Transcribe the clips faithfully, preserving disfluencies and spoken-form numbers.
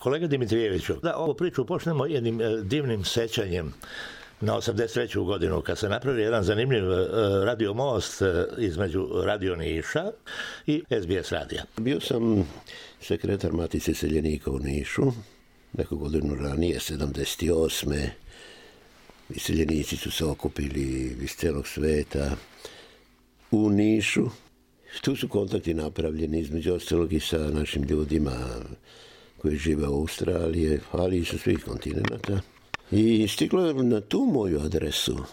Kolega Dimitrijeviću, da ovu priču počnemo jednim divnim sećanjem na osamdeset treću godinu, kad se napravio jedan zanimljiv radio most između Radio Niša i es be es radija. Bio sam sekretar Matice iseljenika u Nišu, neku godinu ranije, sedamdeset osme Iseljenici su se okupili iz celog sveta u Nišu. Tu su kontakti napravljeni, između ostalog i sa našim ljudima koji žive u Australiji, ali i sa svih kontinenta. I stiglo je na tu moju adresu,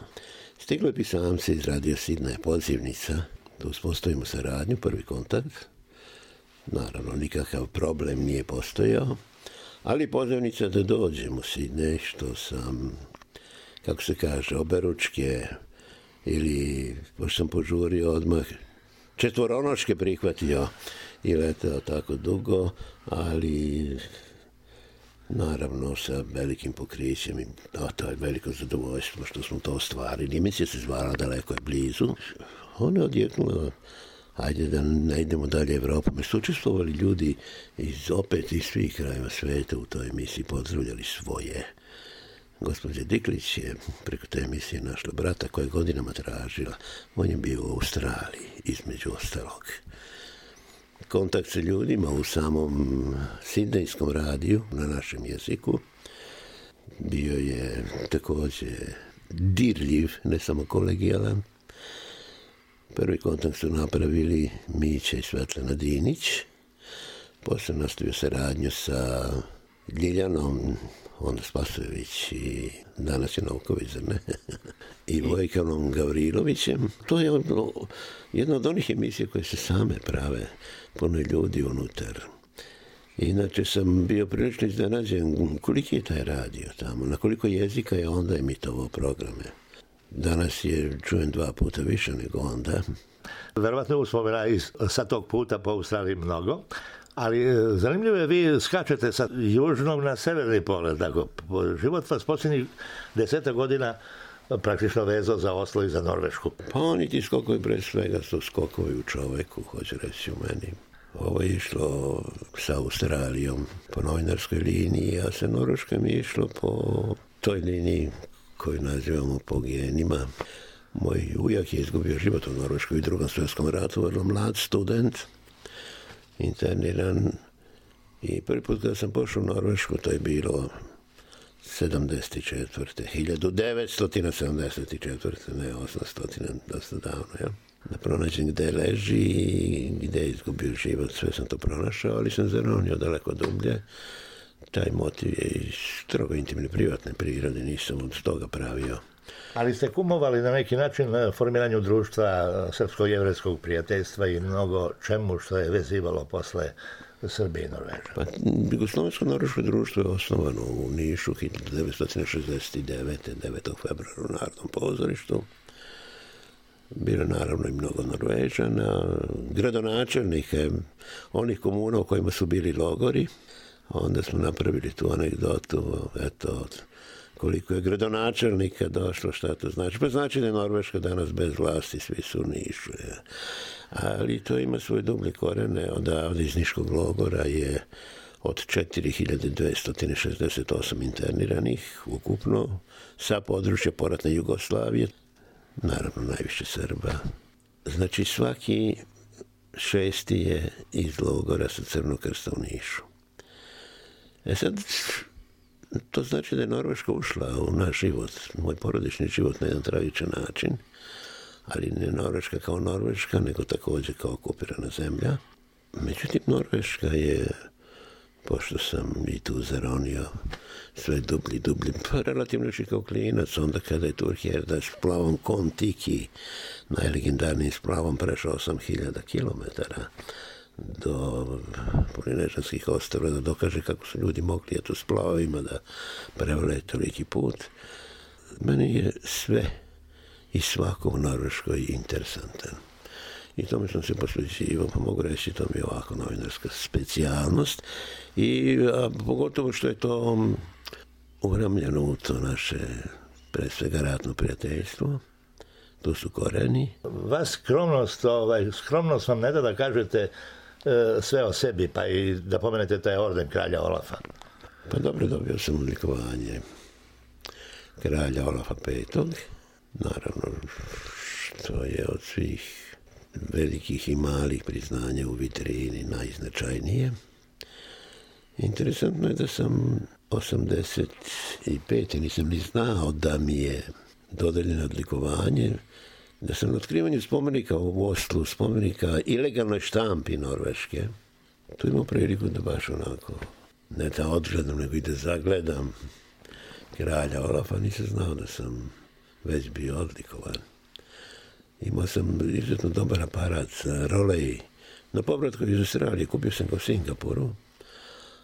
stiglo je pisamce iz Radio Sidneja, pozivnica, da uspostavimo saradnju, prvi kontakt. Naravno, nikakav problem nije postojao, ali pozivnica da dođem u Sidnej, što sam, kako se kaže, oberučke ili, pošto sam požurio odmah, četvoronoške prihvatio i letao tako dugo, ali naravno sa velikim pokrićem i a, to je veliko zadovoljstvo što smo to ostvarili. Emisija se zvala Daleko je blizu. Ona je odjeknula, ajde da ne idemo dalje Evropom. Mi su učestvovali ljudi iz opet iz svih krajeva sveta u toj emisiji, pozdravljali svoje. Gospođa Diklić je preko te emisije našla brata koja je godinama tražila. On je bio u Australiji, između ostalog. Kontakt sa ljudima u samom sidnejskom radiju na našem jeziku bio je također dirljiv, ne samo kolegijalan. Prvi kontakt su napravili Mića i Svetlana Dinić. Posle nastavio saradnju sa Ljiljanom, onda Spasojević i danas je Novković, zar ne? I Vojkanom Gavrilovićem. To je jedna od onih emisija koje se same prave, puno ljudi unutar. Inače sam bio prilično iznenađen koliki je taj radio tamo, na koliko jezika je onda emitovao programe. Danas je, čujem, dva puta više nego onda. Verovatno uspomena sa tog puta po Australiji mnogo, ali zanimljivo je, vi skačete sa južnog na severni pogled, tako. Život vas posljednjih deseta godina praktično vezao za Oslo i za Norvešku. Pa oni ti skokovi pre svega su skokovi u čoveku, hoće reći u meni. Ovo je išlo sa Australijom po novinarskoj liniji, a sa Norveškom je išlo po toj liniji koju nazivamo po genima. Moj ujak je izgubio život u Norveškoj i drugom svjetskom ratu, vrlo mlad student, interniran, i prvi put kada sam pošao u Norvešku, to je bilo sedamdeset četvrte hiljadu devetsto sedamdeset četvrte ne osamsto, dosta davno, ja. Da pronađem gde leži i gde je izgubio život, sve sam to pronašao, ali sam zaronio daleko dublje. Taj motiv je iz strogo intimne privatne prirode, nisam od toga pravio. Ali ste kumovali na neki način formiranju društva srpsko-jevrejskog prijateljstva i mnogo čemu što je vezivalo posle Srbije i Norveža. Pa, Jugoslovensko-norveško društvo je osnovano u Nišu hiljadu devetsto šezdeset devete. devetog februara u Narodnom pozorištu. Bilo naravno i mnogo Norvežana, gradonačelnike onih komuna u kojima su bili logori. Onda smo napravili tu anegdotu, eto, koliko je gradonačelnika došlo, šta to znači. Pa znači da je Norveška danas bez vlasti, svi su u Nišu. Je. Ali to ima svoje dublje korene. Odavde iz Niškog logora je od četiri hiljade dvesta šezdeset osam interniranih ukupno sa područja poratne Jugoslavije. Naravno, najviše Srba. Znači, svaki šesti je iz logora sa Crnog krsta u Nišu. E sad, to znači da je Norveška ušla u naš život, moj porodični život na jedan tragičan način, ali ne Norveška kao Norveška, nego također kao okupirana zemlja. Međutim, Norveška je, pošto sam i tu zaronio sve dublji, dublji, pa relativno još i kao klinac, onda kada je Turhjerda s plavom Kon-Tiki, najlegendarnijim splavom, prešao osam hiljada kilometara do Polinežanskih ostrva, da dokaže kako su ljudi mogli eto s plavovima da prevale toliki put. Meni je sve i svako u Norveškoj interesantan. I tome sam se posvećivao, pa mogu reći, to mi je ovako novinarska specijalnost. I a, pogotovo što je to uramljeno u to naše, pre svega, ratno prijateljstvo. Tu su koreni. Vas skromnost, ovaj, skromnost vam ne da da kažete e, sve o sebi, pa i da pomenete taj orden kralja Olafa. Pa dobro, dobio sam odlikovanje kralja Olafa petog. Naravno, što je od svih velikih i malih priznanja u vitrini najznačajnije. Interesantno je da sam osamdeset pete nisam ni znao da mi je dodeljeno odlikovanje, da sam na otkrivanju spomenika u Oslu, spomenika ilegalnoj štampi norveške, tu imao priliku da baš onako, ne da odgledam, nego i da zagledam kralja Olafa, nisam znao da sam već bio odlikovan. Imao sam izuzetno dobar aparat, rolej, na povratku iz Australije, kupio sam ga u Singapuru,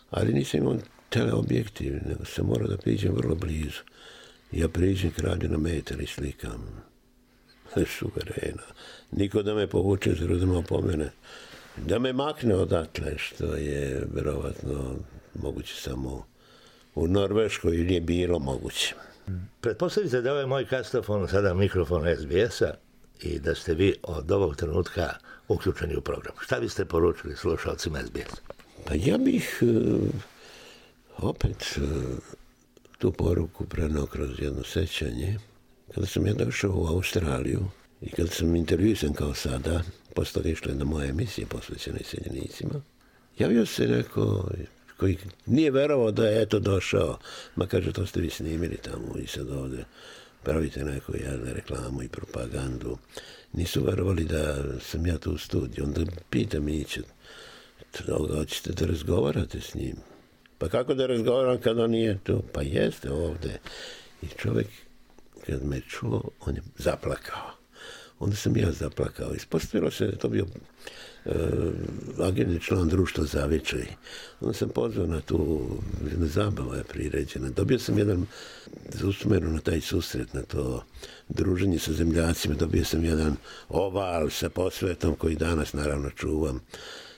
ali nisam imao teleobjektiv, nego sam morao da priđem vrlo blizu. Ja priđem kralju na metar i slikam. Suverena. Niko da me povuče, zelo da me opomene. Da me makne odatle, što je verovatno moguće samo u Norveškoj ili je bilo moguće. Pretpostavite da ovaj moj kastofon sada mikrofon es be es-a i da ste vi od ovog trenutka uključeni u program. Šta biste poručili slušalcima es be es? Pa ja bih uh, opet uh, tu poruku prenao kroz jedno sećanje. Kada sam ja došao u Australiju i kada sam intervjuisan kao sada, posle toga išla jedna moja emisija posvećena iseljenicima, javio se neko koji nije verovao da je eto došao, ma kaže, to ste vi snimili tamo i sad ovde pravite neku jednu reklamu i propagandu. Nisu verovali da sam ja tu u studiju. Onda pita Mića, hoćete da razgovarate s njim? Pa kako da razgovaram kada on nije tu? Pa jeste ovde. I čovjek, kad me čuo, on je zaplakao. Onda sam ja zaplakao. Ispostavilo se da je to bio uh, agentni član društva Zavičaj. Onda sam pozvao na tu, jedna zabava je priređena. Dobio sam jedan, za usmenu na taj susret, na to druženje sa zemljacima, dobio sam jedan oval sa posvetom koji danas naravno čuvam.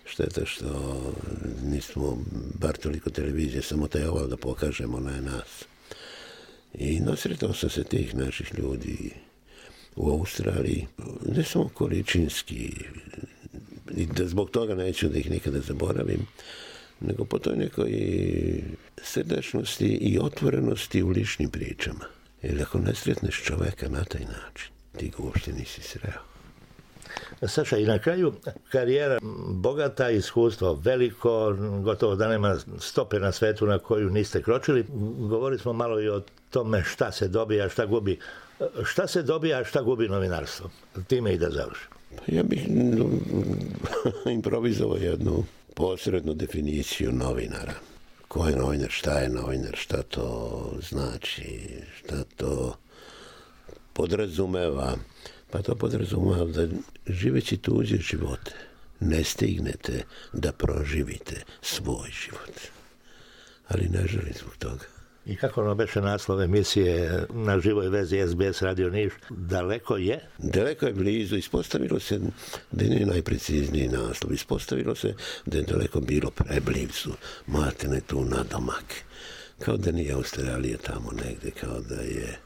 Šteta što nismo bar toliko televizije, samo taj oval da pokažemo na nas. I nasretao sam se tih naših ljudi u Australiji, ne samo količinski, i da zbog toga neću da ih nikada zaboravim, nego po toj nekoj srdačnosti i otvorenosti u ličnim pričama. Jer ako ne sretneš čoveka na taj način, ti ga uopšte nisi sreo. Saša, i na kraju karijera bogata, iskustvo veliko, gotovo da nema stope na svetu na koju niste kročili. Govorili smo malo i o tome šta se dobija, šta gubi. Šta se dobija, šta gubi novinarstvo? Time i da završim. Ja bih improvizovao jednu posrednu definiciju novinara. Ko je novinar, šta je novinar, šta to znači, šta to podrazumeva. Pa to podrazumeva da živeći tuđe živote ne stignete da proživite svoj život. Ali ne želim zbog toga. I kako ono beše naslov emisije na živoj vezi es be es Radio Niš? Daleko je? Daleko je blizu. Ispostavilo se da je najprecizniji naslov. Ispostavilo se da je daleko bilo preblizu. Matene tu nadomak. Kao da nije Australija tamo negde, kao da je...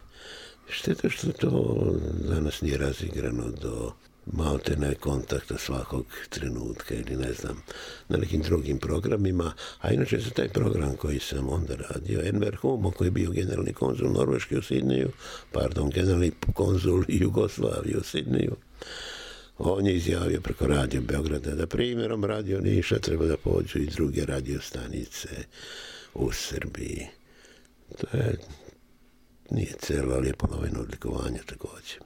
Šteta što to danas nije razigrano do maltene kontakta svakog trenutka ili ne znam, na nekim drugim programima, a inače za taj program koji sam onda radio, Enver Humo, koji je bio generalni konzul Norveške u Sidneju, pardon, generalni konzul Jugoslavije u Sidneju, on je izjavio preko Radio Beograda da primjerom Radio Niša treba da pođu i druge radiostanice u Srbiji. To je nije celo, ali je poloveno odlikovanje također.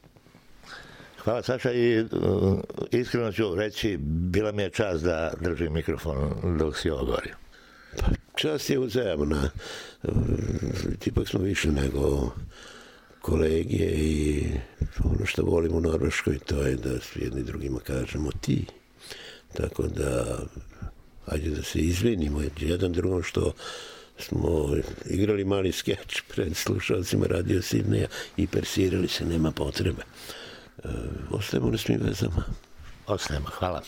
Hvala, Saša, i uh, iskreno ću reći, bila mi je čast da držim mikrofon dok si ovo govorio. Pa, čast je uzajamna. Uh, ipak smo više nego kolege i ono što volim u Norveškoj, to je da s jedni drugima kažemo ti. Tako da, ajde da se izvinimo jedan drugom što smo igrali mali skeč pred slušalcima Radio Sidneja i persirali se, nema potrebe. E, ostajemo na svim vezama. Ostajemo, hvala.